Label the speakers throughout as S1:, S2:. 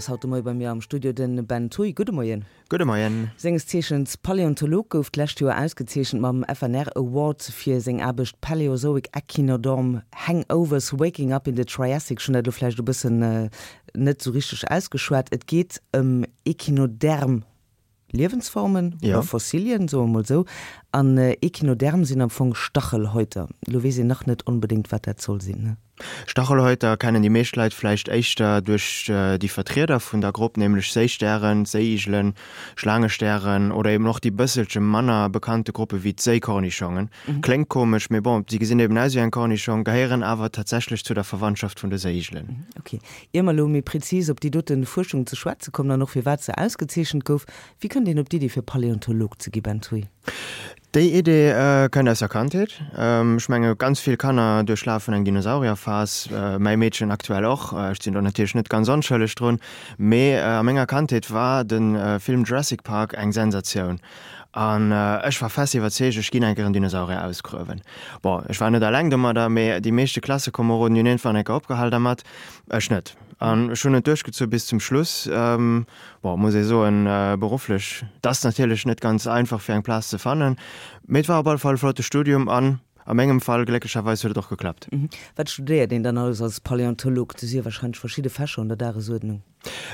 S1: ass haut de Moie bei mir am Studio de Ben Thuy. Gudde Moien.
S2: Gudde Moien.
S1: Senges Zeechens Paläontolog, gouf d'lescht Joer ausgezeechent mam FNR Award fir seng Aarbecht Paleozoic Echinoderm Hangovers, Waking Up in the Triassic. Ech hunn dat elo vläicht e bëssen net esou richteg ausgeschwat. Et geet ëm Echinoderm Liewensformen oder Fossilien, soe mer mol esou. An Echinoderm sinn am Fong Stachelhäuter. Elo weess een nach net onbedéngt, wat dat soll sinn, ne?
S2: Stachelhäuter kennen déi meescht Leit vläicht éischter duerch déi Vertrieder vun der Grupp, nämlech Séistären, Séiigelen, Schlaangestären oder eben och déi bësselche manner bekannte Gruppe wéi d'Séikornischongen. Kléngt komesch, mee bon, si gesinn eben aus wéi eng Kornischong, gehéieren awer tatsächlech zu der Verwandschaft vun de Séiigelen.
S1: Ok. Ier mer elo méi prezis op déi dote Fuerschung ze schwätze kommen an och firwat se ausgezeechent gouf, wéi kënnt een op d'Iddi fir Paläontolog ze gi, Ben Thuy?
S2: Déi Idee kënnt aus der Kandheet. Ech menge ganz vill Kanner duerchlafen eng Dinosaurierphas, mäi Meedchen aktuell och. Ech sinn do natierlech net ganz onschëlleg drun, mee a menger Kandheet war de Film Jurassic Park eng Sensatioun an ech war fest iwwerzeegt, ech ginn eng Kéier en Dinosaurier ausgruewen. Bon, ech war net eleng domadder, mee déi meeschte Klassekomeroden hunn iergendwann eng Kéier opgehal dermat, ech net. An ech hunn et duerchgezu bis zum Schluss. Bon, muss ee soen, berufflech, et ass natierlech net ganz einfach fir eng Plaz ze fannen, mee et war op alle Fall e flotte Studium an a mengem Fall glécklecherweis huet et och geklappt.
S1: Wat studéiert een dann alles als Paläontolog? Do si jo wahrscheinlech verschidde Fächer un der Dagesuerdnung.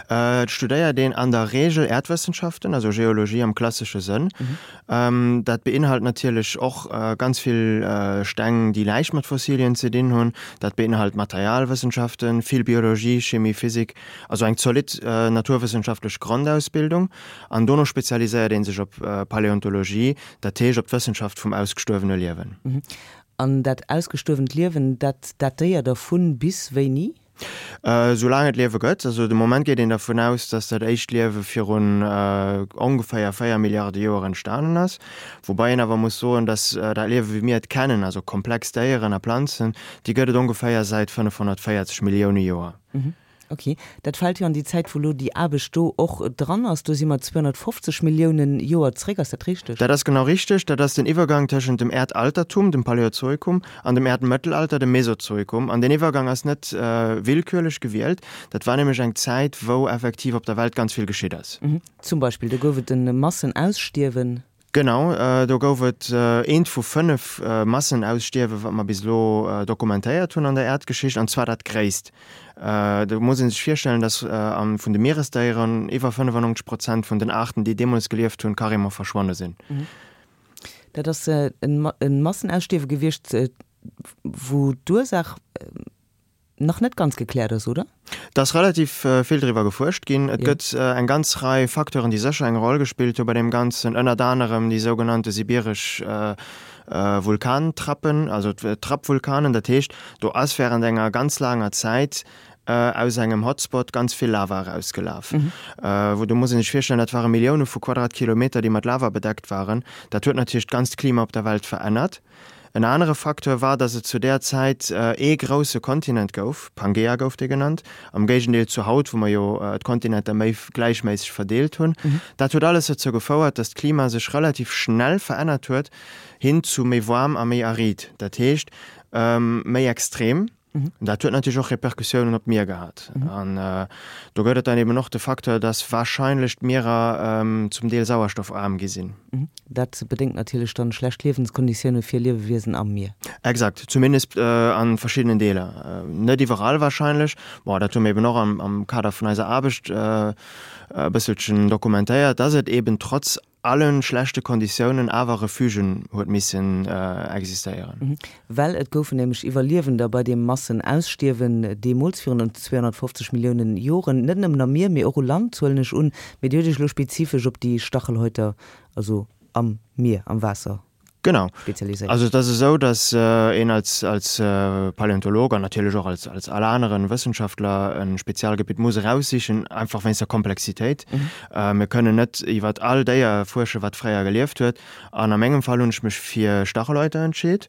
S2: Et studéiert een an der Reegel Äerdwëssenschaften, also Geologie am klassesche Sënn. Dat beinhalt natierlech och ganz vill Steng, déi näischt mat Fossilien ze dinn hunn. Dat beinhalt Materialwëssenschaften, vill Biologie, Chimie, Physik. Also eng zolidd naturwëssenschaftlech Grondausbildung an dono spezialiséiert ee sech op Paläontologie, dat heescht op d'Wëssenschaft vum ausgestuerwene Liewen.
S1: An dat ausgestuerwent Liewen, dat datéiert da vun bis wéini?
S2: Soulaang et Liewe gëtt. Also de Moment geet een dervun aus, datt dat éischt Liewe virun ongeféier 4 Milliarde Joer entstanen ass. Woubai een awer muss soen, datt dat Liewe wéi mir et kennen, also komplex Déieren a Planzen, déi gëtt et ongeféier säit 540 Millioune Joer.
S1: Ok, dat fält jo an déi Zäit, wou elo déi Aarbecht do och dran ass. Do si mer 250 Milliounen Joer zréck, ass dat richteg?
S2: Dat ass genau richteg. Dat ass den Iwwergang tëschent dem Äerdaltertum, dem Paläozoikum, an dem Äerdmëttelalter, dem Mesozoikum. An deen Iwwergang ass net willkürlech gewielt. Dat war nämlech eng Zäit, wou effektiv op der Welt ganz vill geschitt ass.
S1: Zum Beispill, do gouf et e Massenausstierwen.
S2: Genau, do gouf et eent vu 5 Massenausstierwen, wat mer bis elo dokumentéiert hunn an der Äerdgeschicht, an zwar dat gréisst. Do muss ee sech virstellen, datt vun de Mieresdéieren iwwer 95 Prozent vun den Aarten, déi deemools gelieft hunn, carrément verschwonne sinn.
S1: Dat ass e Massenausstierwe gewiescht, wou d'Ursaach nach net ganz gekläert ass, oder?
S2: Et ass relativ vill driwwer gefuerscht ginn. Et gëtt eng ganz Rei Facteuren, déi sécher eng Roll gespillt hu bei deem Ganzen, ënnert anerem déi sougenannte sibiresch Vulkantrappen, also Trappvulkanen. Dat heescht, do ass wärend enger ganz laanger Zäit aus engem Hotspot ganz vill Lava erausgelaf. Do muss ee sech virstellen, dat ware Millioune vu Quadratkilometer, déi mat Lava bedeckt waren. Dat huet natierlech d'ganzt Klima op der Welt verännert. En anere Facteur war, datt et zu där Zäit ee grousse Kontinent gouf, Pangea gouf dee genannt, am Géigendeel zu haut, wou mer jo d'Kontinenter méi gläichméisseg verdeelt hunn. Dat huet alles dozou gefouert, datt d'Klima sech relativ schnell verännert huet, hin zu méi waarm a méi arid, dat heescht méi extrem. Dat huet natierlech och Repercussiounen op d'Mier gehat. An do gëtt et dann eben och de Facteur, dass warscheinlech d'Mierer zum Deel sauerstoffaarm gi sinn.
S1: Dat bedéngt natierlech dann schlecht Liewenskonditioune fir Liewewiesen am Mier.
S2: Exakt, zumindest a verschiddenen Deeler. Net iwwerall warscheinlech. Bon, dat hu mir eben och am Kader vun eiser Aarbecht e bësselchen dokumentéiert, dass et eben trotz allen schlechte Konditiounen awer Refugen huet missen existéieren.
S1: Well et goufen nämlech Iwwerliewender bei deem Massenausstierwen deemools, virun 250 Milliounen Joren, net nëmmen am Mier, mee och u Land, huelen ech un. Mee Dir hutt Iech elo spezifesch op déi Stachelhäuter, also am Mier, am Waasser.
S2: Genau.
S1: Spezialiséiert.
S2: Also et ass esou, datt een als, als Paläontolog an natierlech och als, als all anere Wëssenschaftler e Spezialgebitt muss eraussichen, einfach wéinst der Komplexitéit. Mir kënnen net iwwer all Déier fuersche wat fréier gelieft huet. An a mengem Fall hunn ech mech fir Stachelhäuter entscheet.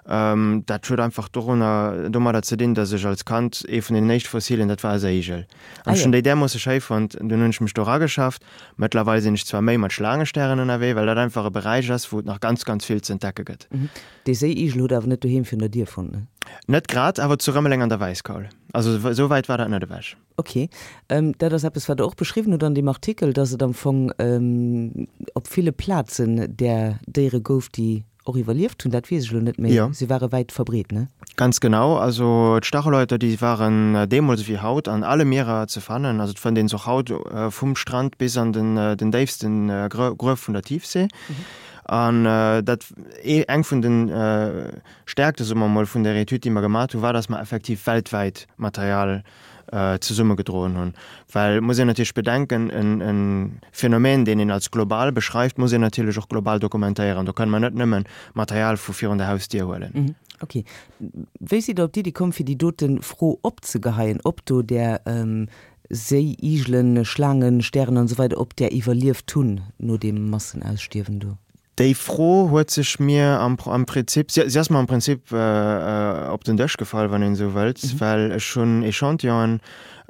S2: Dat huet einfach dorunner, domadder ze dinn, datt ech als Kand ee vun den éischte Fossilien, dat war e Séiigel. An ech hunn déi därmoosse schéi fonnt, dunn hunn ech mech do erageschafft. Mëttlerweil sinn ech zwar méi mat Schlaangestären ënnerwee, well dat einfach e Beräich ass, wou et nach ganz, ganz vill z'entdecke gëtt.
S1: Dee Séiigel hutt awer net doheem virun der Dier fonnt, ne?
S2: Net grad, awer zu Rëmeleng an der Wäisskaul. Also esou wäit war dat net ewech.
S1: Ok. Dat ass eppes, wat Der och beschriwwen hutt an deem Artikel, dass et am Fong op ville Plazen där Déiere gouf, déi och iwwerlieft hunn. Dat weess ech elo net méi.
S2: Jo.
S1: Si ware wäit verbreet, ne?
S2: Ganz genau. Also d'Stachelhäuter, déi waren deemools ewéi haut an alle Mierer ze fannen. Also et fënnt een se och haut vum Strand bis an den den déifste Gruef vun der Tiefsee. An dat eng vun den Stäerkte, soe mer emol, vun där Etüd, déi mer gemat hunn, war, dass mer effektiv weltwäit Material zesummegedroen hunn. Well et muss een natierlech bedenken, e Phänomen, deen een als global beschreift, muss een natierlech och global dokumentéieren. Do kënne mer net nëmme Material vu virun der Hausdier huelen.
S1: Okay. Wéi sidd Der op d'Iddi komm, fir déi dote Fro opzegeheien, ob do där Séiigelen, Schlaangen, Stären an esou weider, ob där iwwerlieft hunn no deem Massenausstierwen do?
S2: Déi Fro huet sech mir am am Prinzip, si ass mer am Prinzip op den Dësch gefall, wann een esou wëllt, well ech hunn Echantillonen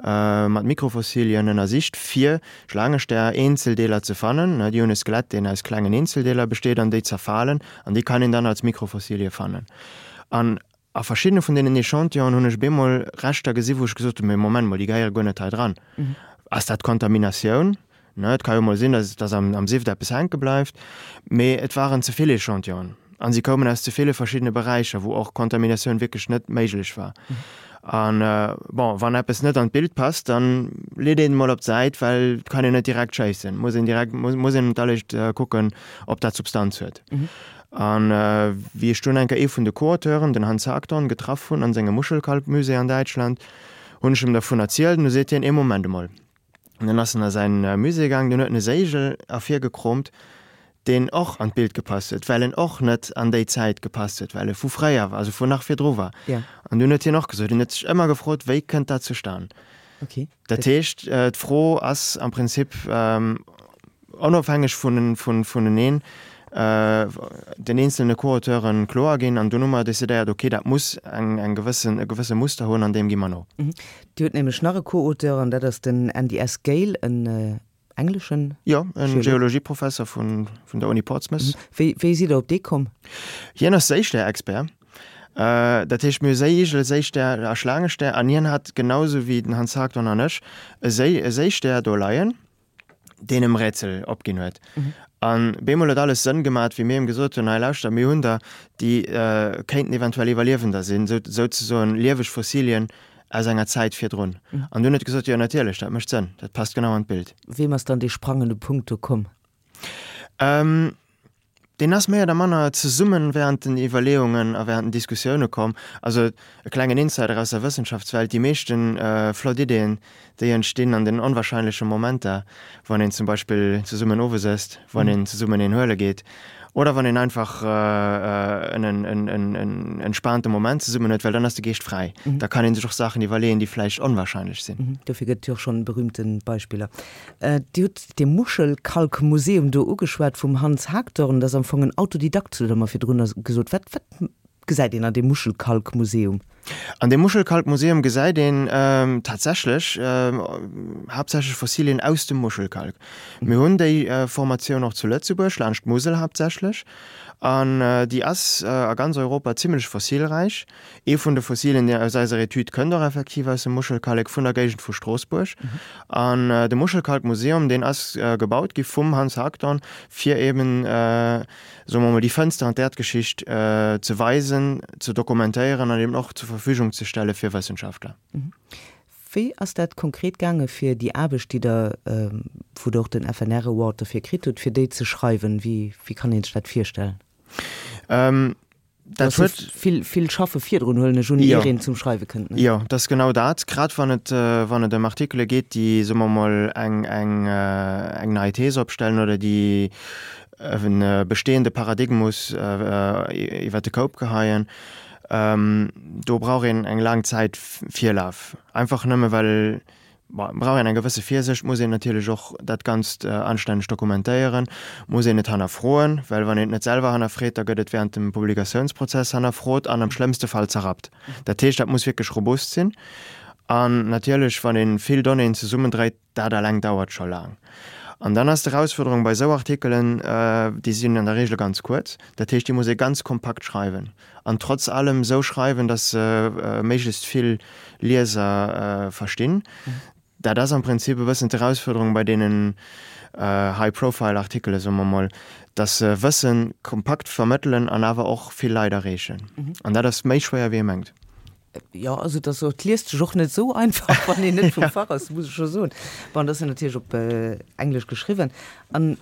S2: mat Mikrofossilien ënnersicht, fir Schlaangestär Eenzeldeeler ze fannen. Déi hunn e Skelett, deen aus klengen Eenzeldeeler besteet an déi zerfalen an déi kann een dann als Mikrofossilie fannen. An A verschiddene vun deenen Echantillonen hunn ech op eemol Reschter gesi wou ech gesot hunn, mee Moment mol, déi gehéiere guer net hei dran. Ass dat Kontaminatioun? Ne, et ka jo mol sinn, dass dass am am Sift eppes hänke bleift. Mee et waren ze vill Echantillonen an si koumen aus ze ville verschiddene Beräicher, wou och Kontaminatioun wierklech net méiglech war. An bon, wann eppes net an d'Bild passt, dann leet een et mol op d'Säit, well et kann een net direkt schéissen, muss een direkt muss een d'alleréischt kucken, ob dat Substanz huet. An wéi ech dunn eng Kéier ee vun de Co-Auteuren, den Hans Hagdorn, getraff hunn an sengem Muschelkalkmusée an Däitschland, hunn ech em dervun erzielt an du seet hien, Ee Moment emol. An dann ass en a säin Musée gaang, dunn huet en e Séigel ervirgekroomt, deen och an d'Bild gepasst huet, well en och net an déi Zäit gepasst huet, well e vu fréier war, also vun nach virdru war. An dunn huet hien och gesot, hien huet sech ëmmer gefrot, wéi kënnt dat zustan? Dat heescht, d'Fro ass am Prinzip onofhängeg vuneneen, den eenzelne Co-Auteuren kloer ginn. An dunn hu mer decidéiert, okay, dat muss eng gewëssen, e gewësse Muster hunn an deem gi mer no.
S1: Dir hutt nämlech nach e Co-Auteur an dat ass den Andy S. Gale, en engleschen
S2: Jo, en Geologieprofesser vun der Uni Portsmouth.
S1: Wéi, wéi sidd Der op dee komm?
S2: Hien ass Séistär-Expert. Dat heescht, mir hu Séiigel, Séistär a Schlaangestär an hien hat, genau sou wéi den Hans Hagdorn an ech, e Séi, e Séistär do leien, deen em Rätsel opginn huet. An bemol huet alles Sënn gemat, wéi mir him gesot hunn, hei lauschter, mir hunn der, déi kéinten eventuell Iwwerliewender sinn, sou, souzesoen lieweg Fossilien aus enger Zäit virdrun. An dunn huet e gesot, jo natierlech, dat mécht Sënn, dat passt genau an d'Bild.
S1: Weem ass dann dee sprangende Punkt do komm?
S2: Deen ass méi oder manner zesumme während den Iwwerleeungen a während den Diskussioune komm. Also e klengen Insider aus der Wëssenschaftswelt, déi meeschte flott Ideeën, déi entstinn an den onwahrscheinleche Momenter, wann een zum Beispill zesummen owes ësst, wann een zesummen een huele geet oder wann een einfach en entspaante Moment zesummen huet, well dann ass de Geescht fräi. Da kann ee sech och Saachen iwwerleeën, déi vläicht onwahrscheinlech sinn.
S1: Dofir gëtt et jo och schonn berühmte Beispiller. Dir hutt dee Muschelkalkmuseum do ugeschwat vum Hans Hagdorn. Dat ass am Fong en Autodidakt, hutt Der mer virdrun gesot. Wat gesäit een an deem Muschelkalkmuseum?
S2: An deem Muschelkalkmuseum gesäit een tatsächlech haaptsächlech Fossilien aus dem Muschelkalk. Mir hunn déi Formatioun och zu Lëtzebuerg, laanscht d'Musel haaptsächlech, an déi ass a ganz Europa zimmlech fossilräich. Ee vun de Fossilien, deen aus eiser Etüd kënnt och effektiv aus dem Muschelkallek vun der Géigend vu Stroossbuerg. An de Muschelkalkmuseum, deen ass gebaut gi vum Hans Hagdorn, fir eben, soe mer emol, déi Fënster an d'Äerdgeschicht ze weisen, ze dokumentéieren an eben och zur Verfügung ze stelle fir Wëssenschaftler.
S1: Wéi ass dat konkret gaange fir déi Aarbecht, déi Der, wou Der och den FNR Award derfir kritt hutt, fir déi ze schreiwen? Wéi, wéi kann ee sech dat virstellen?
S2: Dat huet.
S1: Vill, vill Schaffe virdrun, huelen ech un, ier een zum Schreiwe kënnt,
S2: ne? Jo, dat ass genau dat. Grad wann et, wann et ëm Artikele geet, déi, soe mer emol, eng, eng, eng nei Thees opstellen oder déi e bestehende Paradigmus iwwer de Koup geheien, do brauch een eng laang Zäit Virlaf. Einfach nëmme well Bon, et brauch een eng gewësse Virsicht, muss een natierlech och dat Ganzt anstänneg dokumentéieren, muss een et hannerfroen, well wann een et net selwer hannerfreet, da gëtt et während dem Publikatiounsprozess hannerfrot an am schlëmmste Fall zerrappt. Dat heescht, dat muss wierklech robust sinn. An natierlech, wann ee vill Donnéeën zesummendréit, dat eleng dauert scho laang. An dann ass d'Erausfuerderung bei esou Artikelen, déi sinn an der Regel ganz kuerz, dat heescht, déi muss ee ganz kompakt schreiwen an trotz allem esou schreiwen, datt se méiglechst vill Lieser verstinn. Dat ass am Prinzip e bëssen d'Erausfuerderung bei deenen High-Profile-Artikelen, soe mer mol, datt se Wësse kompakt vermëttelen an awer och vill Leit erreechen. An dat ass méi schwéier, wéi ee mengt.
S1: Jo, also dat et liest sech och net esou einfach, wann een net vum Fach ass, muss ech scho soen. Bon, dat ass jo natierlech op Englesch geschriwwen. An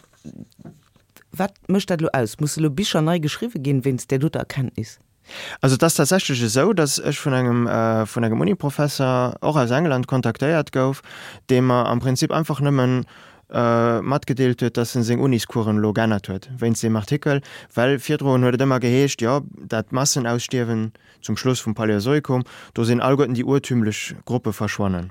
S1: wat mécht dat elo aus? Musse elo Bicher nei geschriwwe ginn wéinst där doter Erkenntnis?
S2: Also et ass tatsächlech esou, datt ech vun engem vun engem Uniprofesser, och aus England, kontaktéiert gouf, dee mer am Prinzip einfach nëmmen matgedeelt huet, datt en seng Uniscoursen elo geännert huet wéinst deem Artikel, well virdrun huet et ëmmer geheescht, jo, dat Massenausstierwen Zum Schluss vum Paläozoikum, do sinn alleguerten déi urtümlech Gruppe verschwonnen.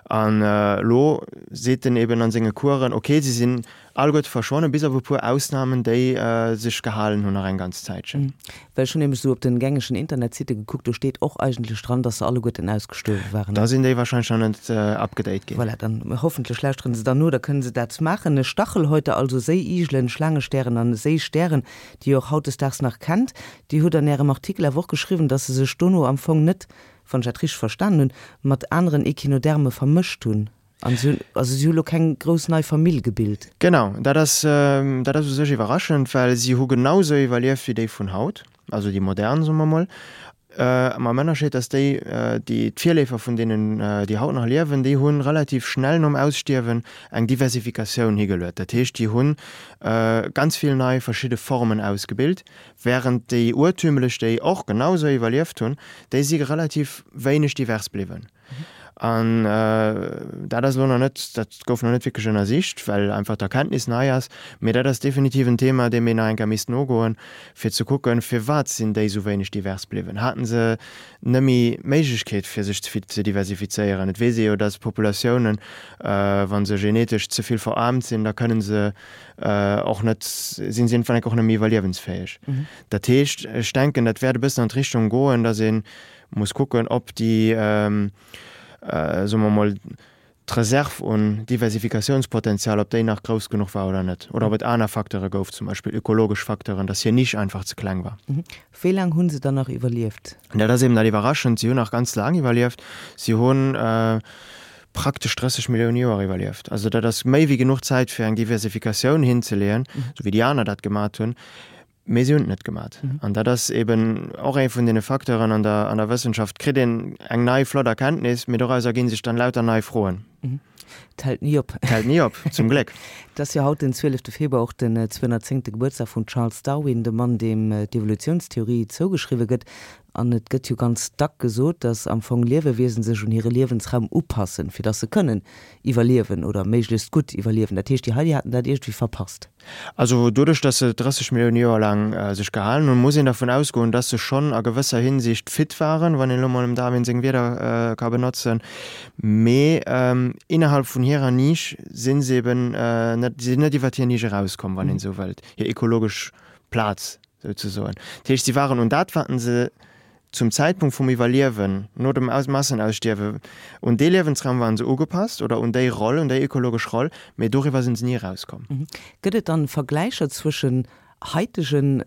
S2: An elo seet en eben an senge Coursen, ok, si sinn alleguerte verschwonnen, bis op e puer Ausnamen, déi sech gehalen hunn nach eng ganz Zäitchen.
S1: Well ech hunn nämlech esou op den gängegen Internetsitte gekuckt, do steet och eigentlech dran, dass se alleguerten ausgestuerwe waren.
S2: Da sinn déi wahrscheinlech nach net upgedate ginn.
S1: Voilà, dann hoffentlech lauschteren se dann no, da kënnen se dat maachen. Stachelhäuter, also Séiigelen, Schlaangestären an Séistären, déi Dir och hautdesdaags nach kennt, Dir hutt an Ärem Artikel awer och geschriwwen, dass se sech dono am Fong net, wann ech dat richteg verstanen hunn, mat aneren Echinoderme vermëscht hunn. An si hunn, also si hu lo keng grouss nei Famill gebilt.
S2: Genau, dat ass, dat ass u sech iwwerraschend, well si hu genau sou iwwerlieft wéi déi vun haut, also déi modern, soe mer mol. Mam Ënnerscheed, dass déi, déi d'Virleefer vun deenen, déi haut nach liewen, déi hu relativ schnell nom Ausstierwen eng Diversifikatioun higeluet. Dat heescht, déi hu ganz vill nei verschidde Formen ausgebilt, wärend déi urtümlech, déi och genau sou iwwerlieft hunn, déi si relativ wéineg divers bliwwen. An dat ass elo nach net, dat gouf nach net wierklech ënnersicht, well einfach d'Erkenntnis nei ass. Mee dat ass definitiv en Thema, deem een nach eng Kéier misst nogoen, fir ze kucken, firwat sinn déi esou wéineg divers bliwwen? Haten se nëmme Méiglechkeet, fir sech ze vill ze diversifizéieren? Et weess ee jo, datt Populatiounen, wa se genetesch ze vill veraarmt sinn, da kënne se och net, sinn se irgendwann enk och net méi iwwerliewensfäeg. Dat heescht, ech denken, dat wäert e bëssen an d'Richtung goen, datt ee muss kucken, ob déi, soe mer emol, d'Reserv un Diversifikatiounspotenzial, ob déi nach grouss genuch war oder net, oder ob et aner Facteure gouf, zum Beispill ökologesch Facteuren, dass hir Nisch einfach ze kleng war.
S1: Wéi laang hu se dann nach iwwerlieft?
S2: Dat ass eben dat Iwwerraschend, si hunn nach ganz laang iwwerlieft. Si hu praktesch 30 Millioune Joer iwwerlieft. Also dat ass méi wéi genuch Zäit, fir eng Diversifikatioun hinzeleeën, esou wéi déi aner dat gemat hunn. Mee si hunn et net gemat. An dat ass eben och ee vun deene Facteuren an der, an der Wëssenschaft, kritt een eng nei flott Erkenntnis, mee doraus erginn sech dann lauter nei Froen.
S1: Et hält ni op.
S2: Et hält ni op, zum Gléck.
S1: Et ass jo haut den 12 Februar och den 210. Gebuertsdag vum Charles Darwin, dem Mann, deem d'Evolutiounstheorie zougeschriwwe gëtt. An et gëtt jo ganz dack gesot, datt am Fong Liewewiesen sech un hire Liewensraum upassen, fir datt se kënnen iwwerliewen oder méiglechst gutt iwwerliewen. Dat heescht, déi hei, déi haten dat iergendwéi verpasst.
S2: Also doduerch, datt se 30 Millioune Joer laang sech gehalen hunn, muss een dervun ausgoen, datt se schonn a gewësser Hinsicht fit waren, wann een elo mol dem Darwin seng Wierder ka benotzen. Mee innerhalb vun hirer Nisch si se eben net, si sinn net iwwert hir Nisch erauskomm, wann een esou wëllt, hir ekologesch Plaz souzesoen. Dat heescht, si waren un dat, wat se Zum Zäitpunkt vum Iwwerliewen, no dem Massenausstierwe, un dee Liewensraum waren se ugepasst oder un déi Roll, un déi ökologesch Roll, mee doriwwer sinn se ni erauskomm.
S1: Gëtt et dann Vergläicher zwëschen haitegen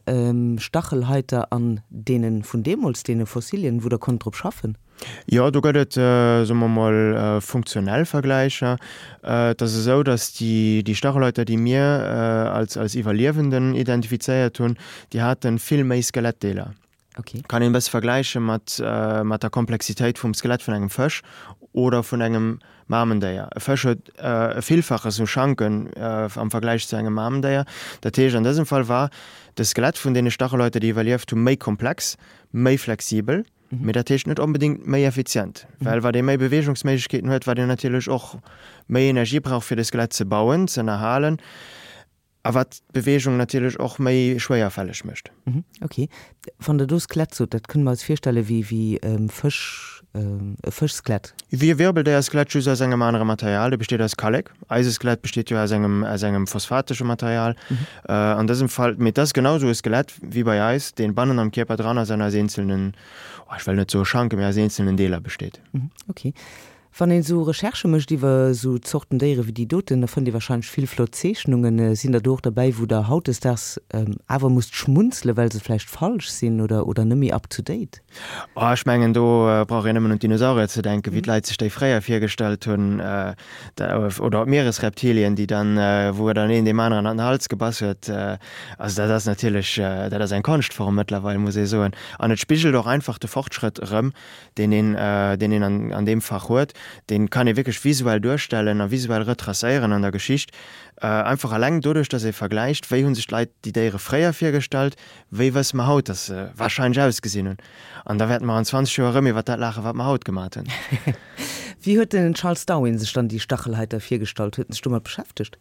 S1: Stachelhaiter an deenen vun deemools, deene Fossilien, wou der konnt drop schaffen?
S2: Jo, do gëtt et, soe mer mol, funktionell Vergläicher. Et ass esou, datt déi Stachelhäuter, déi mir als Iwwerliewenden identifizéiert hunn, déi hate vill méi Skelettdeeler.
S1: Okay.
S2: Kann een e bësse vergläiche mat, mat der Komplexitéit vum Skelett vun engem Fësch oder vun engem Mamendéier. E Fësch huet e Villfaches u Schanken am Vergläich zu engem Mamendéier. Dat heescht, an dësem Fall war de Skelett vun deene Stachelhäuter, déi iwwerlieft hunn, méi komplex, méi flexibel, mee dat heescht net onbedéngt méi effizient, well wat ee méi Beweegungsméiglechkeeten huet, wat een natierlech och méi Energie brauch, fir de Skelett ze bauen, ze ënnerhalen. A wat d'Beweegung natierlech och méi schwéierfälleg mécht.
S1: Ok. Wann Der do Skelett sot, dat kënne mer eis virstelle wéi wéi Fësch, e Fëschskelett?
S2: Wéi e Wirbeldéierskelett, just aus engem anere Material. Dee besteet aus Kallek. Eise Skelett besteet jo aus engem aus engem phosphatesche Material. An dësem Fall, mee et ass genau esou e Skelett wéi bei eis, dee bannen am Kierper dran ass an aus eenzelnen, oh ech wëll net soe Schanken, mee aus eenzelnen Deeler besteet.
S1: Ok. Wann een esou Recherchë mécht iwwer esou Zorten Déiere wéi déi doten, da fënnt ee wahrscheinlech vill flott Zeechnungen. Sinn der do och derbäi, wou der hautdesdaags awer musst schmunzelen, well se vläicht falsch sinn oder oder net méi up to date?
S2: Oh, ech mengen, do brauch een nëmmen un d'Dinosaurier ze denken, wéi d'Leit sech déi fréier virgestallt hunn, oder op d'Mieresreptilien, déi dann, wou dann een deem aneren an den Hals gebass huet. Also dat ass natierlech, dat ass eng Konschtform mëttlerweil, muss ee soen. An et spigelt och einfach de Fortschrëtt erëm, deen een, deen een an, an deem Fach huet, dee kann ee wierklech visuell duerstellen a visuell retracéieren an der Geschicht. Einfach eleng doduerch, dass ee vergläicht, wéi hu sech d'Leit déi Déiere fréier virgestallt, wéi wësse mer haut, dass se warscheinlech ausgesinn hunn. An da wäerte mer an 20 Joer erëm iwwer dat laachen, wat mer haut gemat hunn.
S1: Wéi huet den Charles Darwin sech dann déi Stachelhaiter virgestallt? Huet en sech domat beschäftegt?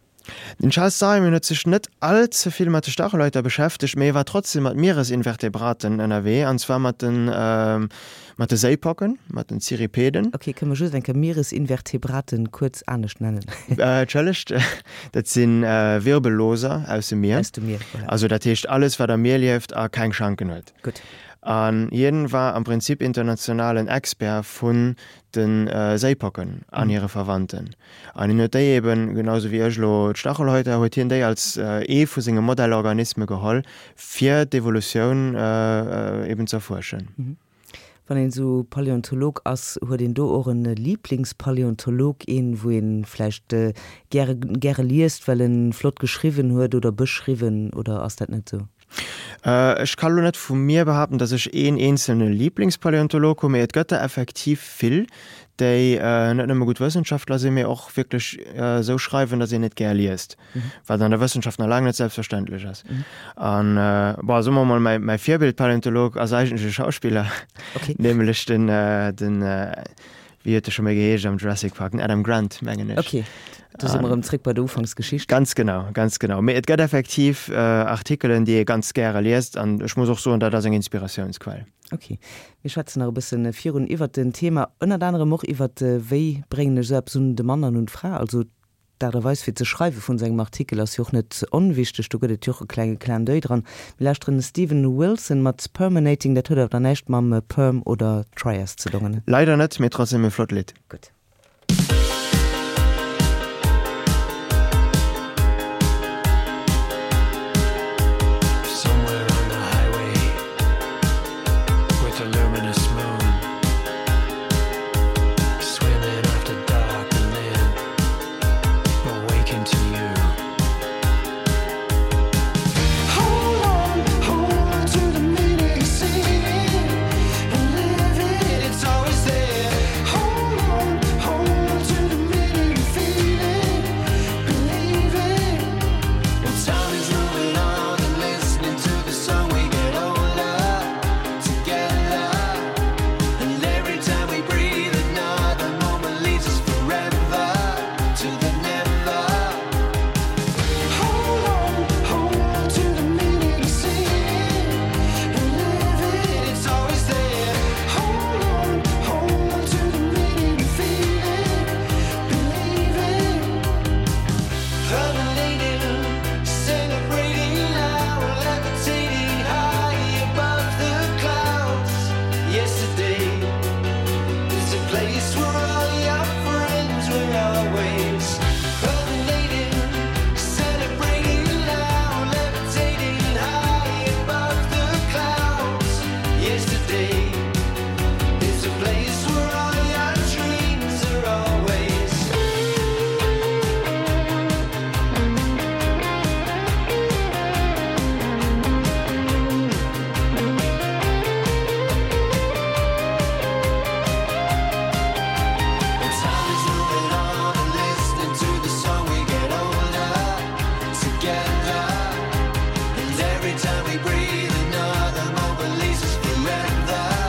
S2: Den Charles Darwin huet sech net all ze vill mat de Stachelhäuter beschäftegt, mee e war trotzdem mat Mieresinvertebraten ënnerwee, an zwar mat de mat de Séipocken, mat den Cirripeden.
S1: Ok, kënne mer just eng Kéier Mieresinvertebraten kuerz anescht nennen?
S2: Entschëllegt, dat si Wirbelloser aus dem Mier.
S1: Aus dem Mier, voilà.
S2: Also dat heescht alles wat am Mier lieft a keng Schanken huet.
S1: Gutt.
S2: An hien war am Prinzip internationalen Expert vun de Séipocken an hire Verwandten. An hien huet déi eben, genau sou wéi ech elo d'Stachelhäuter, huet hien déi als ee vu senge Modellorganisme geholl, fir d'Evolutioun eben z'erfuerschen.
S1: Wann een esou Paläontolog ass, huet een do och en Liiblingspaläontolog, een, wou een vläicht gäre gäre liest, well en flott geschriwwen huet oder beschriwwen, oder ass dat net esou?
S2: Ech ka lo net vu mir behaapten, datt ech een eenzelne Liiblingspaläontolog hu, mee et gëtt der effektiv vill, déi net nëmme gutt Wëssenschaftler sinn, mee och wierklech esou schreiwen, datt een et gär liest, wat an der Wëssenschaft nach laang net selbstverständlech ass. An, bon, soe mer emol, mäi, mäi Virbildpaläontolog ass eigentlech e Schauspiller, nämlech den, den, Wéi huet de scho méi geheescht am Jurassic Park? Den Adam Grant, mengen ech.
S1: Ok, do si mer erëm zréck bei der Ufanksgeschicht.
S2: Ganz genau, ganz genau. Mee et gëtt effektiv Artikelen, déi ee ganz gäre liest an ech muss och soen, dat ass eng Inspiratiounsquell.
S1: Ok, mir schwätzen nach e bësse virun iwwert den Thema, ënnert anerem och iwwert, wéi bréngen ech esou eppes un de Mann an un d'Fra? Also D'Aart a Weis fir ze schreiwe vun sengem Artikel ass jo och net onwichteg, do gëtt et jo och e klenge Clin d'oeil dran. Mir lauschteren de Steven Wilson mat Permanating, dat huet awer dann näischt mam Perm oder Trias ze dongen, ne?
S2: Leider net, mee trotzdem e flott Lidd.
S1: Gutt.
S3: Somewhere on the highway with a luminous moon Swimming after dark and then awaken to you. Hold on, hold on to the meaning you see and live it. It's always there. Hold on, hold on to the meaning you feel it, believe it. Well, time is moving on and listening to the song we get older together. And every time we breathe, another moment leaves us forever to the never. Hold on, hold on to the meaning you see and live it. It's always there. Hold on, hold on to the meaning you feel it, believe it. Permanating, celebrating now, levitating high above the clouds. Yesterday is a place where all your friends were always. Permanating, celebrating now, levitating high above the clouds. Yesterday is a place where all your dreams are always. Time is moving on and listening to the song we get older together. And every time we breathe, another moment leaves us forever.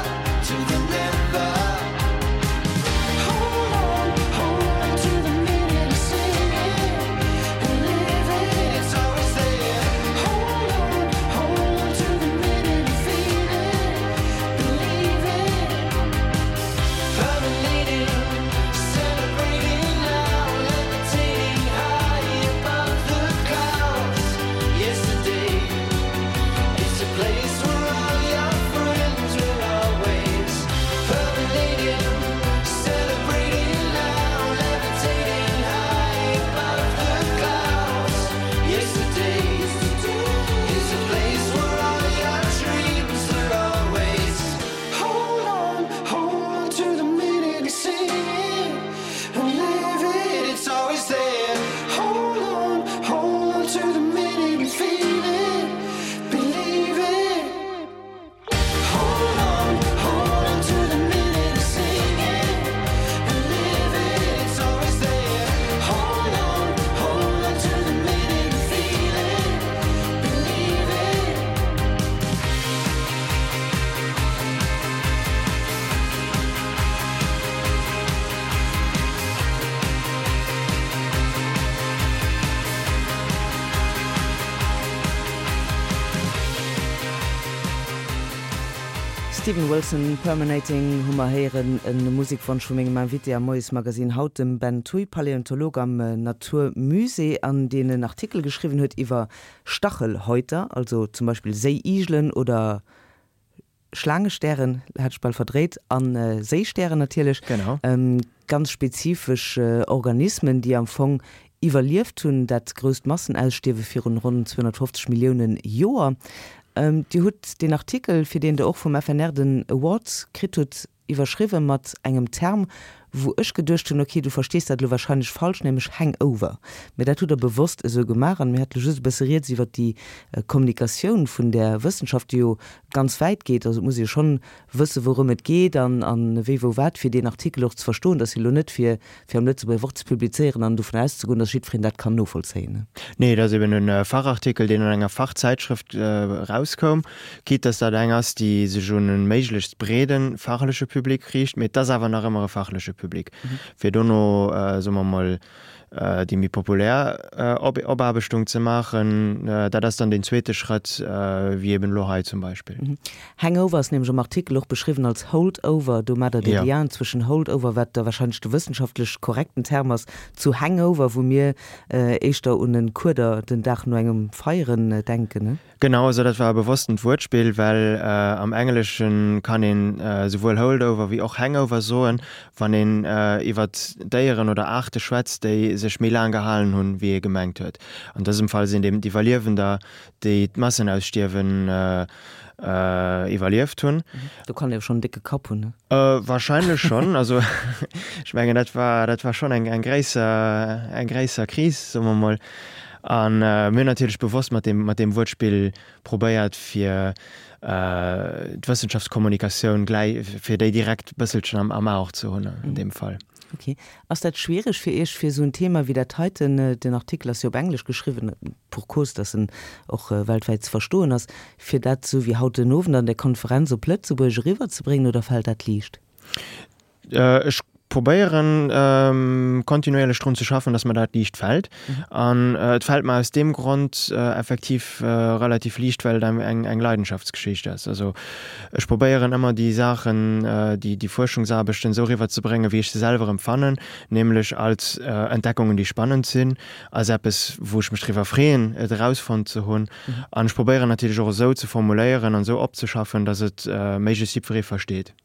S1: Steven Wilson, Permanating hu mer héieren, e Musekwonsch vu mengem Invité am Moiesmagazine haut, dem Ben Thuy, Paläontolog am Natur Musée, an deen en Artikel geschriwwen huet iwwer Stachelhäuter, also zum Beispill Séiigelen oder Schlaangestären, hat ech bal verdréit, a Séistären natierlech.
S2: Genau.
S1: Ganz spezifesch Organismen, déi am Fong iwwerlieft hunn dat grousst Massenausstierwe virun ronn 250 Millioune Joer. Dir hutt deen Artikel, fir deen Der och vum FNR den Award kritt hutt, iwwerschriwwe mat engem Term, wou ech geduecht hunn, ok, du verstees dat elo warscheinlech falsch, nämlech Hangover. Mä dat hutt Der bewosst esou gemaach. An mir hate just e bësse rieds iwwert déi Kommunikatioun vun där Wëssenschaft, déi jo ganz wäit geet. Also et muss ee jo schonn wësse wourëm et geet an wéi wou wat, fir deen Artikel och ze verstoen. Dat ass jo elo net fir fir am Lëtzebuerger Wort ze publizéieren an dovun auszegoen, datt jiddwereen dat kann novollzéien.
S2: Nee, et ass eben e Fachartikel, deen an enger Fachzäitschrëft erauskoum. Quitte datt dat eng ass, déi sech un e méiglechst breede fachleche Public riicht, mee et ass awer nach ëmmer e fachleche Public. Fir dono, soe mer emol, déi méi populär Opaarbechtung ze maachen, dat ass dann deen zweete Schrëtt, wéi eben elo hei zum Beispill.
S1: Hangover ass nämlech am Artikel och beschriwwen als Holdover. Do maacht Der de Lien zwëschen Holdover, wat da wahrscheinlech de wëssenschaftlech korrekten Term ass, zu Hangover, wou mir éischter un e Kueder den Dag no engem Feieren denken.
S2: Genau, also dat war e bewosstent Wuertspill, well am Englesche kann een esouwuel Holdover wéi och Hangover soen, wann een iwwer Déieren oder Aarte schwätzt, déi sech méi laang gehalen hunn, wéi ee gemengt huet. An dësem Fall sinn et eben d'Iwwerliewender, déi d'Massenausstierwen iwwerlieft hunn.
S1: Do kann ee jo schonn en décke Kapp hunn, ne?
S2: Wahrscheinlech schonn. Also ech mengen, dat war, dat war schonn eng, eng gréisser, eng gréisser Kris, soe mer mol. A mir hunn natierlech bewosst mat deem, mat deem Wuertspill probéiert, fir d'Wëssenschaftskommunikatioun gläi, fir déi direkt e bësselchen am, am A och ze hunn an deem Fall.
S1: Ok. Ass dat schwiereg fir Iech, fir esou en Thema wéi dat heiten, den Artikel ass jo op Englesch geschriwwen, pour cause, datt en och weltwäit ze verstoen ass, fir dat esou wéi haut den Owend an der Konferenz op Lëtzebuergesch eriwwerzebréngen, oder fält dat liicht?
S2: Ech probéieren kontinuéierlech drun ze schaffen, datt mer dat liicht fält. An et fält mer aus deem Grond effektiv relativ liicht, well et eng Leidenschaftsgeschicht ass. Also Ech probéieren ëmmer déi Saachen, déi déi Fuerschungsaarbechten esou eriwwer ze bréngen, wéi ech se selwer empfannen, nämlech als Entdeckungen, déi spannend sinn, als eppes, wou ech mech driwwer freeën, et erausfonnt ze hunn. An ech probéieren natierlech och esou ze formuléieren an esou opzeschaffen, datt et méiglechst jiddweree versteet.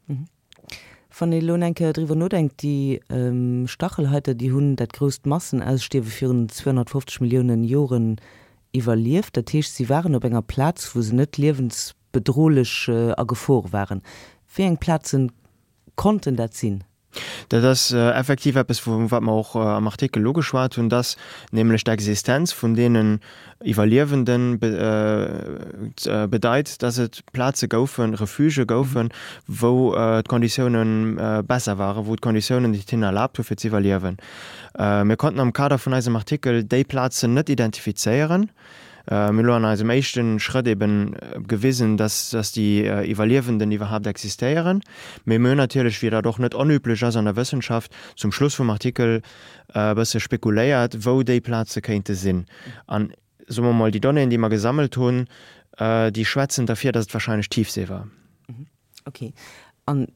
S1: Wann ee elo eng Kéier driwwer nodenkt, déi Stachelhaiter, déi hunn dat grousst Massenausstierwe virun 250 Milliounen Joren iwwerlieft. Dat heescht, si waren op enger Plaz, wou se net liewensbedrohlech a Gefor waren. Wéi eng Plaze konnten dat sinn?
S2: Dat ass effektiv eppes, wat mer och am Artikel ugeschwat hunn, dass nämlech d'Existenz vun deenen Iwwerliewenden bedeit, dass et Plaze goufen, Refugë goufen, wou d'Konditioune besser waren, wou d'Konditiounen et hinnen erlaabt hu fir z'iwwerliewen. Mir konnten am Kader vun eisem Artikel déi Plazen net identifizéieren. Mir hunn elo an eisem éischte Schrëtt eben gewisen, dass déi Iwwerliewenden iwwerhaapt existéieren. Mee mir hunn natierlech, wéi dat och net onüblech ass an der Wëssenschaft, zum Schluss vum Artikel e bësse spekuléiert, wou déi Plaze kéinte sinn. An, soe mer mol, déi Donnéeën, déi mer gesammelt hunn, déi schwätzen derfir, datt et wahrscheinlech d'Tiefsee war.
S1: Okay. An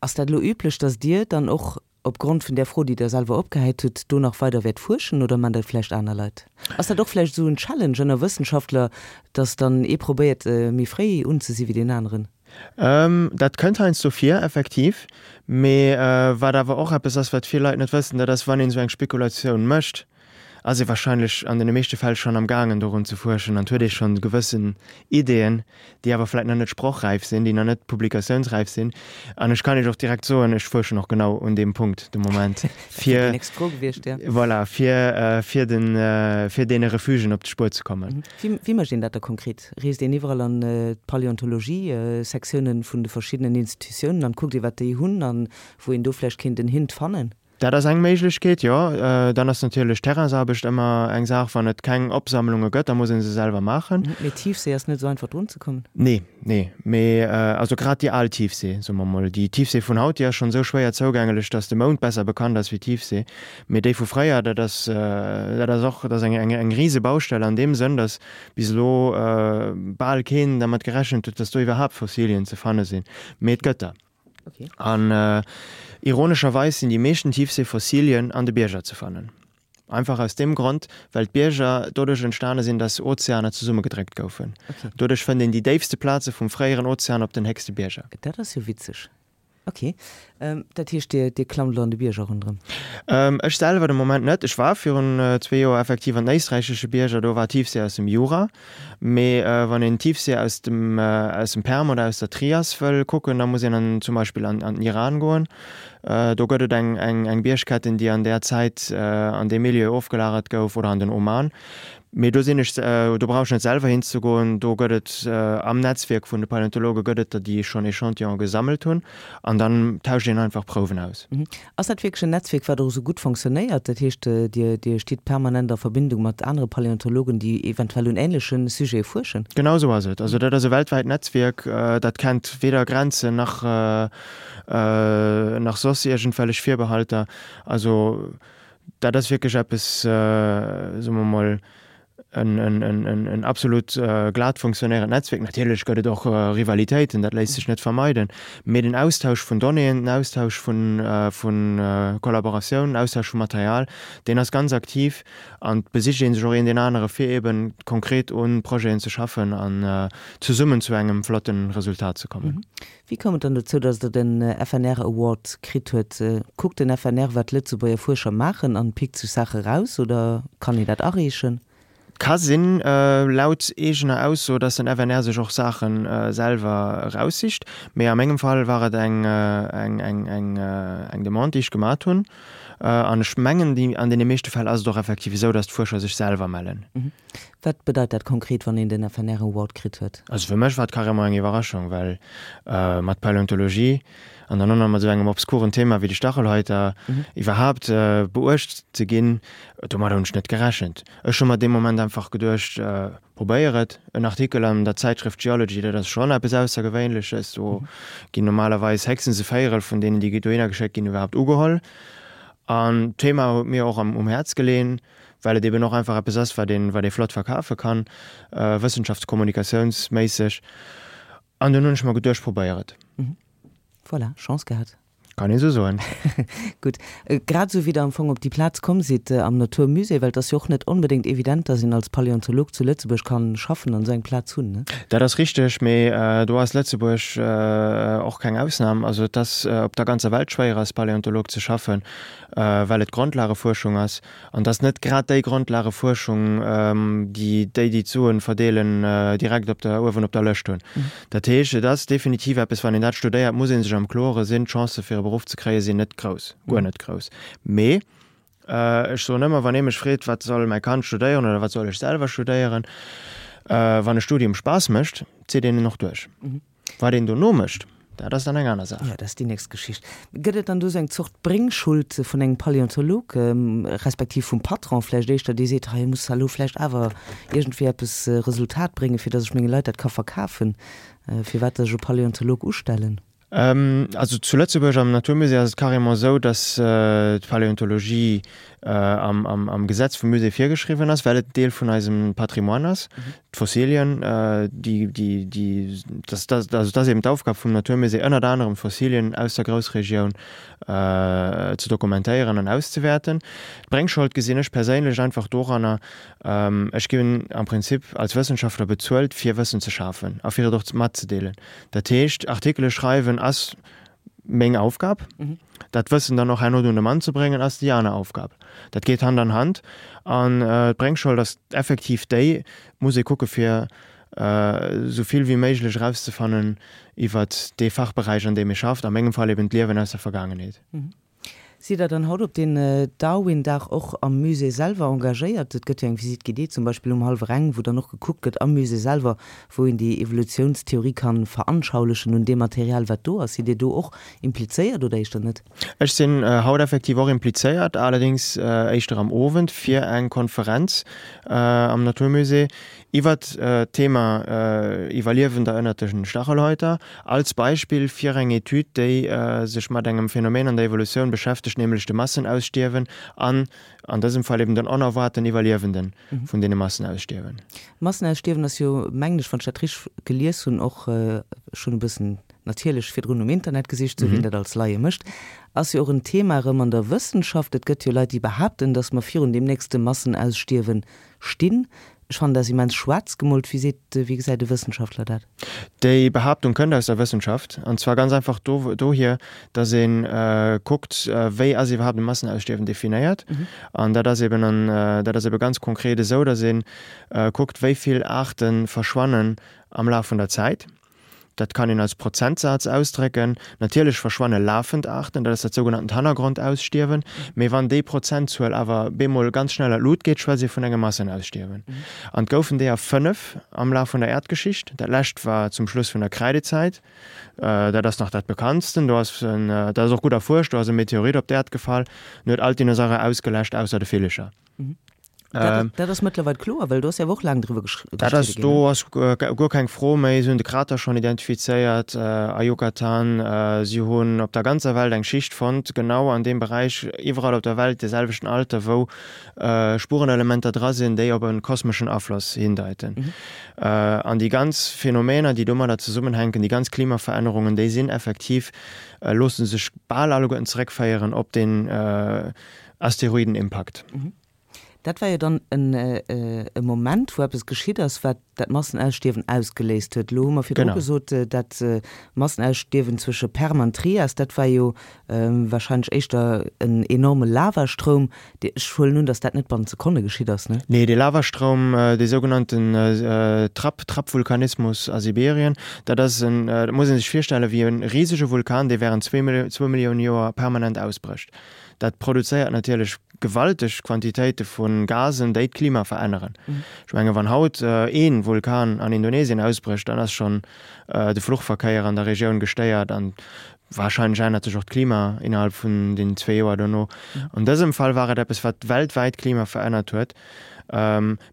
S1: ass dat elo üblech, datt Dir dann och opgrond vun där Fro, déi Der selwer opgehäit hutt, do nach weider wäert fuerschen oder man dat vläicht aner Leit? Ass dat och vläicht esou en Challenge ënner Wëssenschaftler, datt dann ee probéiert, méi fréi unzesi wéi deen aneren?
S2: Dat kënnt heiansdo vir, effektiv. Mee wat awer och eppes ass, wat vill Leit net wëssen, dat ass, wann een esou eng Spekulatioun mécht, ass ee warscheinlech an deene meeschte Fäll schonn am gaangen dorun ze fuerschen an huet ee schonn gewëssen Ideeën, déi awer vläit nach net sprochräif sinn, déi nach net publikatiounsräif sinn. An ech kann Iech och direkt soen, ech fuerschen och genau un deem Punkt de Moment, fir, voilà, fir, fir den, fir deene Refugen op d'Spuer ze kommen.
S1: Wéi mécht een dat da konkret? Reest een iwwerall an d'Paläontologie-Sektiounen vun de verschiddenen Institutiounen an kuckt ee wat déi hunn an wou een do vläicht kéint en Hint fannen?
S2: Dat ass eng Méiglechkeet, jo. Dann ass natierlech Terrainsaarbecht ëmmer eng Saach. Wann et keng Opsammlunge gëtt, da muss ee se selwer maachen.
S1: Mee Tiefsee ass net esou einfach drun ze kommen.
S2: Nee, nee. Mee also grad déi al Tiefsee, soe mer mol. Déi Tiefsee vun haut, déi ass schonn esou schwéier zougängelech, datt de Mound besser bekannt ass wéi d'Tiefsee. Mee déi vu fréier, dat ass, dat ass och, dat ass eng, eng, eng rise Baustell an deem Sënn, datt bis elo bal keen dermat gerechent huet, datt do iwwerhaapt Fossilien ze fanne sinn. Mee et gëtt der. An ironescherweis sinn déi meeschten Tiefseefossilien an de Bierger ze fannen. Einfach aus deem Grond, well d'Bierger doduerch entstane sinn, datt Ozeaner zesummegedréckt goufen. Doduerch fënnt een déi déifste Plaze vum fréieren Ozean op den héchste Bierger.
S1: Dat ass jo witzeg. Ok. Dat heescht, Dir, Dir klammt elo an de Bierger ronderëm?
S2: Ech selwer de Moment net. Ech war virun zwee Joer effektiv an den éisträichesche Bierger. Do war Tiefsee aus dem Jura. Mee wann een Tiefsee aus dem, aus dem Perm oder aus der Trias wëll kucken, da muss een an, zum Beispill an, an den Iran goen. Do gëtt et eng, eng, eng Biergketten, déi an där Zäit an deem Milieu ofgelagert gouf, oder an den Oman. Mee do sinn ech, do brauch ech net selwer hinzegoen, do gëtt et am Netzwierk vun de Paläontologe gëtt et der, déi schonn Echantillone gesammelt hunn an dann tauscht een einfach Prouwen aus.
S1: Ass dat wierklech en Netzwierk, wat och esou gutt fonctionnéiert? Dat heescht, Dir, Dir stitt permanent a Verbindung mat anere Paläontologen, déi eventuell un änleche Sujete fuerschen?
S2: Genau esou ass et. Also dat ass e weltwäit Netzwierk, dat kennt weder Grenzen nach, nach soss iergendwellech Virbehalter. Also Dat ass wierklech eppes, soe mer mol, en absolut glat funktionéierend Netzwierk. Natierlech gëtt et och Rivalitéiten, dat léisst sech net vermeiden, mee den Austausch vun Donnéeën, den Austausch vu Kollaboratioun, den Austausch vu Material, deen ass ganz aktiv an et besicht ee sech och een deen anere fir eeben konkret u Projeten ze schaffen an zesummen zu engem flotte Resultat ze kommen.
S1: Wéi koum et dann dozou, datt Der den FNR Award kritt huet? Kuckt den FNR, wat Lëtzebuerger Fuerscher maachen an pickt sech Saache raus oder kann een dat areechen?
S2: Ka sinn, laut eegener Ausso, datt den FNR sech och Saache selwer eraussicht. Mee a mengem Fall war et eng eng Demande, déi ech gemat hunn. An ech mengen, an deene meeschte Fäll ass et och effektiv esou, datt d'Fuerscher sech selwer mellen.
S1: Wat bedeit dat konkret, wann een den FNR Award kritt huet?
S2: Also fir mech war et carrément eng Iwwerraschung, well mat Paläontologie an dann och nach mat esou engem obskuren Thema wéi de Stachelhäuter iwwerhaapt beuecht ze ginn, domadder hunn ech net gerechent. Ech hu mer dee Moment einfach geduecht, probéier et. En Artikel an der Zäitschrëft Geology, dat ass schonn eppes Aussergewéinleches. Do ginn normalerweis héchstens e Véierel vun deenen, déi dohinner geschéckt ginn, iwwerhaapt ugeholl. An d'Thema huet mir och um Häerz geleeën. well et eben och einfach eppes ass, wat een, wat ee flott verkafe kann, wëssenschaftskommunikatiounsméisseg. An dunn hunn ech mer geduecht, probéier et.
S1: Voilà, Chance gehat.
S2: Kann een esou soen.
S1: Gutt. Grad esou wéi Der am Fong op déi Plaz komm sidd am Natur Musée, well et ass jo och net onbedéngt evident, dass een als Paläontolog zu Lëtzebuerg kann schaffen an esou eng Plaz hunn, ne?
S2: Dat ass richteg, mee do ass Lëtzebuerg och keng Ausnam. Also et ass op der ganzer Welt schwéier als Paläontolog ze schaffen, well et Grondlagefuerschung ass. An dass net grad déi Grondlagefuerschung, déi déi, déi d'Suen verdeelen, direkt op der, uewen op der Lëscht hunn. Dat heescht, et ass definitiv eppes, wann een dat studéiert, muss ee sech am Klore sinn, d'Chancë fir e Beruff ze kréie sinn net grouss, guer net grouss. Mee ech soen ëmmer, wann ee mech freet, wat soll mäi Kand studéieren oder wat soll ech selwer studéieren, wann e Studium Spaass mécht, zitt een en och duerch. Wat een dono mécht, dat ass dann eng aner Saach.
S1: Jo, dat ass déi nächst Geschicht. Gëtt et dann do esou eng Zort Bréngschuld vun engem Paläontolog, respektiv vum Patron vläicht éischter, dee seet, hei muss elo vläicht awer iergendwéi eppes Resultat bréngen, fir datt ech menge Leit dat ka verkafen, firwat datt ech e Paläontolog ustellen?
S2: Also zu Lëtzebuerg am Naturmusée ass et carrément esou, datt d'Paläontologie am Gesetz vum Musée virgeschriwwen ass, well et Deel vun eisem Patrimoine ass. D'Fossilien, déi, déi, déi, dat, dat, also dat ass eben d'Aufgab vum Naturmusée, ënnert anerem d'Fossilien aus der Groussregioun ze dokumentéieren an auszewäerten. D'Bréngschold gesinn ech perséinlech einfach doranner, ech ginn am Prinzip als Wëssenschaftler bezuelt, fir Wëssen ze schafen a fir et och matzedeelen. Dat heescht, Artikele schreiwen ass meng Aufgab. Dat Wëssen dann och herno un de Mann ze bréngen, ass déi aner Aufgab. Dat geet Hand an Hand. An d'Bréngschold ass effektiv déi, et muss ee kucke fir esou vill wéi méiglech erauszefannen iwwert dee Fachberäich, an deem ee schafft, a mengem Fall eben d'Liewen aus der Vergaangenheet.
S1: Sidd Der dann haut op den Darwin-Dag och am Musée selwer engagéiert? Et gëtt jo eng Visite guidée zum Beispill um hallwer eng, wou dann och gekuckt gëtt am Musée selwer, wou een déi Evolutiounstheorie kann veranschaulichen un deem Material, wat do ass. Sidd Dir do och implizéiert oder éischter net?
S2: Ech sinn haut effektiv och implizéiert, allerdéngs éischter am Owend fir eng Konferenz am Naturmusée Iwwert d'Thema Iwwerliewender ënnert de Stachelhäuter als Beispill fir eng Etüd, déi sech mat engem Phänomen an der Evolutioun beschäftegt, nämlech dem Massenausstierwen an an dësem Fall eben den onerwaarten Iwwerliewende vun deene Massenausstierwen.
S1: Massenausstierwen ass jo, mengen ech, wann ech dat richteg gelies hunn, och schonn e bëssen natierlech virdrun um Internet gesicht, esou wéi een dat als Laie mécht, ass jo och en Thema erëm an der Wëssenschaft. Et gëtt jo Leit, déi behaapten, datt mer virun deem nächste Massenausstierwen stinn. Ech fannen dat immens schwaarz gemoolt. Wéi seet, wéi gesäit e Wëssenschaftler dat?
S2: Déi Behaaptung kënnt aus der Wëssenschaft, an zwar ganz einfach do, dohier, datt ee kuckt, wéi ass iwwerhaapt e Massenausstierwen definéiert. An dat ass eben an, dat ass ebe ganz konkret esou, datt ee kuckt, wéi vill Aarte verschwannen am Laf vun der Zäit. Dat kann een als Prozentsaz ausdrécken. Natierlech verschwanne lafend Aarten, dat ass dat sougenanntent Hannergrondausstierwen. Mee wann déi Prozentzuel awer bemol ganz schnell an d'Lut geet, schwätzt ee vun engem Massenausstierwen. An et goufen deeër 5 am Laf vun der Äerdgeschicht. Dat lescht war zum Schluss vun der Kräidezäit. Dat ass nach dat bekanntsten. Do ass en, dat ass och gutt erfuerscht, do ass e Meteorit op d'Äerd gefall an huet all d'Dinosaurier ausgeläscht, ausser de Villecher.
S1: Dat, dat ass mëttlerweil kloer, well do ass jo awer och laang driwwer
S2: gestridde ginn. Dat ass, do ass guer keng Fro méi. Si hunn de Krater schonn identifizéiert a Yucatan. Si hunn op der ganzer Welt eng Schicht fonnt, genau an deem Beräich, iwwerall op der Welt de selwechten Alter, wou Spurenelementer dra sinn, déi op e kosmeschen Afloss hindeiten. An déi ganz Phänomener, déi domadder zesummenhänken, déi ganz Klimaverännerungen, déi sinn effektiv, loosse sech bal alleguerten zeréckféieren op deen Asteroidenimpakt.
S1: Dat war jo dann en e Moment, wou eppes geschitt ass, wat dat Massenausstierwen ausgeléist huet. Elo hu mer virdru gesot, dat Massenausstierwen zwësche Perm an Trias, dat war jo warscheinlech éischter en enorme Lavastroum. Ech huelen un, datt dat net bannent Sekonne geschitt ass, ne?
S2: Nee, dee Lavastroum, dee sougenannten Trapp, Trappvulkanismus a Sibirien, dat ass en, dat muss ee sech virstelle wéi e risege Vulkan, dee wärend zwee Millioune Joer permanent ausbrécht. Dat produzéiert natierlech gewalteg Quantitéite vu Gasen, déi d'Klima veränneren. Ech menge wann haut ee Vulkan an Indonesien ausbrécht, dann ass schonn de Fluchverkéier an der Regioun gestéiert an warscheinlech ännert sech och d'Klima innerhalb vun den zwee Joer dono. An dësem Fall war et eppes, wat weltwäit d'Klima verännert huet.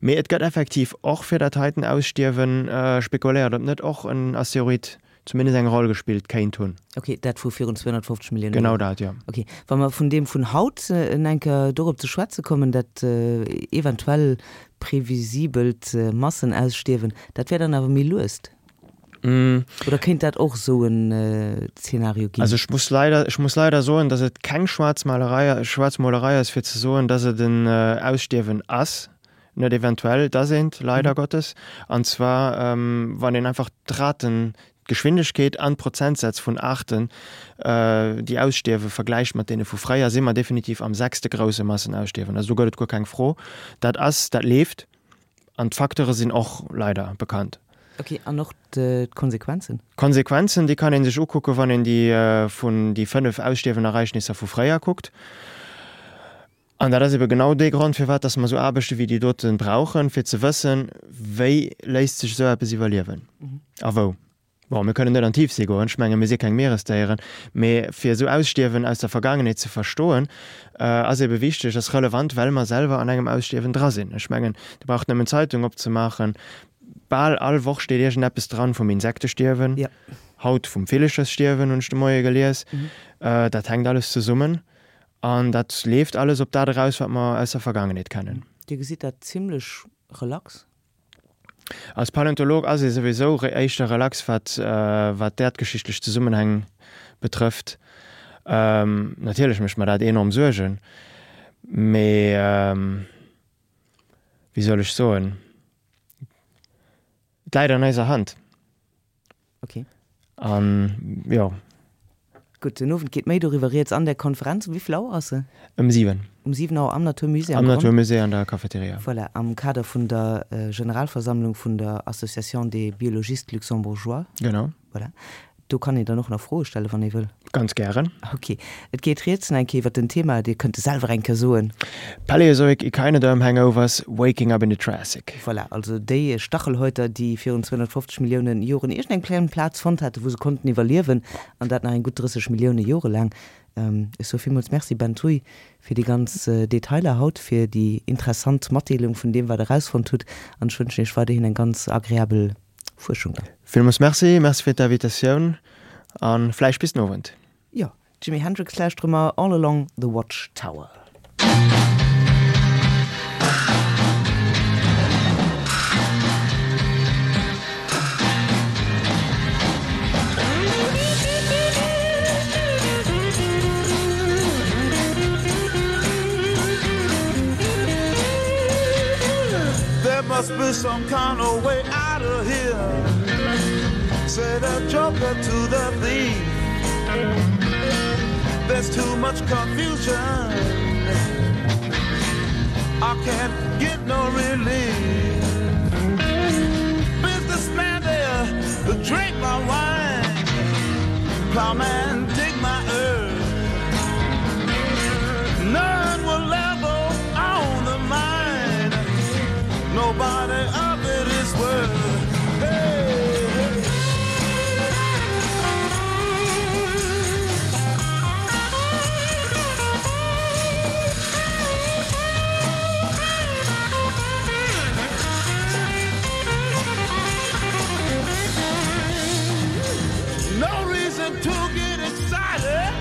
S2: Mee et gëtt effektiv och fir dat heiten Ausstierwe spekuléiert, ob net och en Asteroid zumindest eng Roll gespillt kéint hunn.
S1: Ok, dat vu virun 250 Milliounen
S2: Joer. Genau dat, jo.
S1: Ok, wa mer vun deem vun haut en enker dorop ze schwätze kommen, dat eventuell previsibelt Massenausstierwen, dat wär dann awer méi luest? Oder kéint dat och esou en Zeenario ginn?
S2: Also ech muss leider, ech muss leider soen, datt et keng Schwaarzmalerei, Schwaarzmolerei ass fir ze soen, datt et en Ausstierwen ass. Net eventuell, et ass eent, leider Gottes. An zwar, wann een einfach d'Raten, d'Geschwindegkeet an d'Prozentsätz vun Aarten, déi ausstierwen, vergläicht mat deene vu fréier, si mer definitiv am sechste grousse Massenausstierwen. Also do gëtt et guer keng Fro. Dat ass, dat leeft. An d'Facteure sinn och leider bekannt.
S1: Ok, an och d'Konsequenzen?
S2: D'Konsequenzen, déi kann ee sech ukucken, wann een déi vun déi 5 Ausstierwenereignisser vu fréier kuckt. An dat ass ebe genau dee Grond, firwat dass mer esou Aarbechte wéi déi dote brauchen, fir ze wëssen, wéi léisst sech esou eppes iwwerliewen a wou. Bon, mir kënnen net an d'Tiefsee goen, ech menge mir si keng Mieresdéieren, mee fir esou Ausstierwen aus der Vergaangenheet ze verstoen, ass ebe wichteg, ass relevant, well mer selwer an engem Ausstierwen dra sinn. Ech mengen, Dir braucht nëmmen d'Zeitung opzemaachen, bal all Woch steet iergendeppes dran vum Insektestierwen, haut vum Villechersstierwen hunn ech de Moie gelies. Dat hänkt alles zesummen. An dat leeft alles op dat eraus, wat mer aus der Vergaangenheet kennen.
S1: Dir gesitt dat zimlech relax?
S2: Als Paläontolog ass ee souwisou éischter relax, wat wat d'äerdgeschichtlech Zesummenhäng betrëfft. Natierlech mécht mer dat enorm Suergen, mee wéi soll ech soen, et läit an eiser Hand.
S1: Ok.
S2: An jo.
S1: Gutt, den Owend geet méi doriwwer rieds an där Konferenz. Um wéi vill Auer ass se?
S2: Ëm 7.
S1: Um 7 Auer am Natur Musée
S2: am Gronn. Am Natur Musée an der Cafeteria.
S1: Voilà, am Kader vun der Generalversammlung vun der Association des biologistes luxembourgeois.
S2: Genau.
S1: Voilà. Do kann een dann och nach Froe stellen, wann ee wëll.
S2: Ganz gären.
S1: Ok. Et geet rieds nach eng Kéier iwwer den Thema. Dir kënnt e selwer eng Kéier soen.
S2: Paleozoic Echinoderm Hangovers, Waking up in the Triassic.
S1: Voilà, also déi Stachelhäuter, déi virun 250 Millioune Joren iergendeng kleng Plaz fonnt haten, wou se konnten iwwerliewen, an dat nach eng gutt 30 Millioune Jore laang. Ech soe villmools Merci, Ben Thuy, fir déi ganz Detailer haut, fir déi interessant Matdeelung vun deem, wat Der erausfonnt hutt, an ech wënschen Iech weiderhin eng ganz agreabel Fuerschung dann.
S2: Villmools Merci, Merci fir d'Invitatioun a vläicht bis den Owend.
S1: Jo, Jimi Hendrix lauschtere mer, All Along the Watchtower.
S3: There must be some kind of way out of here Said the joker to the thief There's too much confusion I can't get no relief Businessman there drink my wine Plowman dig my earth None will ever own the mine Nobody of it is worth hey. No reason to get excited.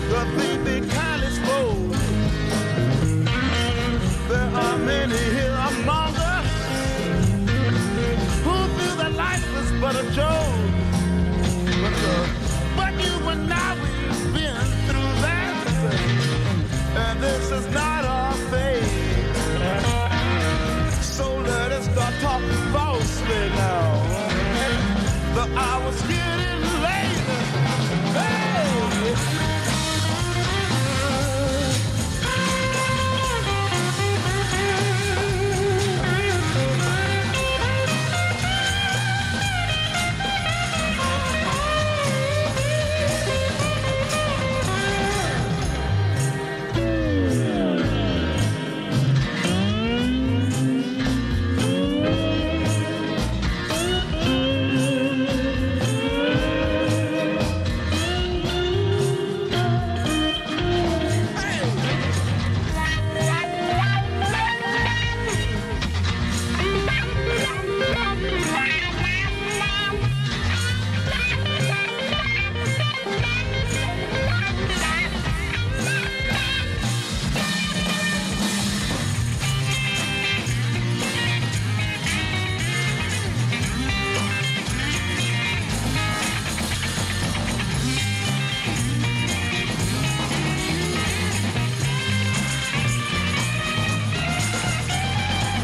S3: The thief be kindly spoke. There are many here among us who feel that life is but a joke. But, uh, but you and I, we've been through that. And this is not our fate. So let us start talking falsely now. The hour's getting late. Hey!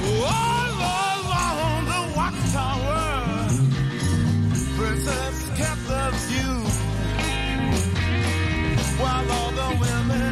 S3: All along the watchtower, princess kept the view, while all the women.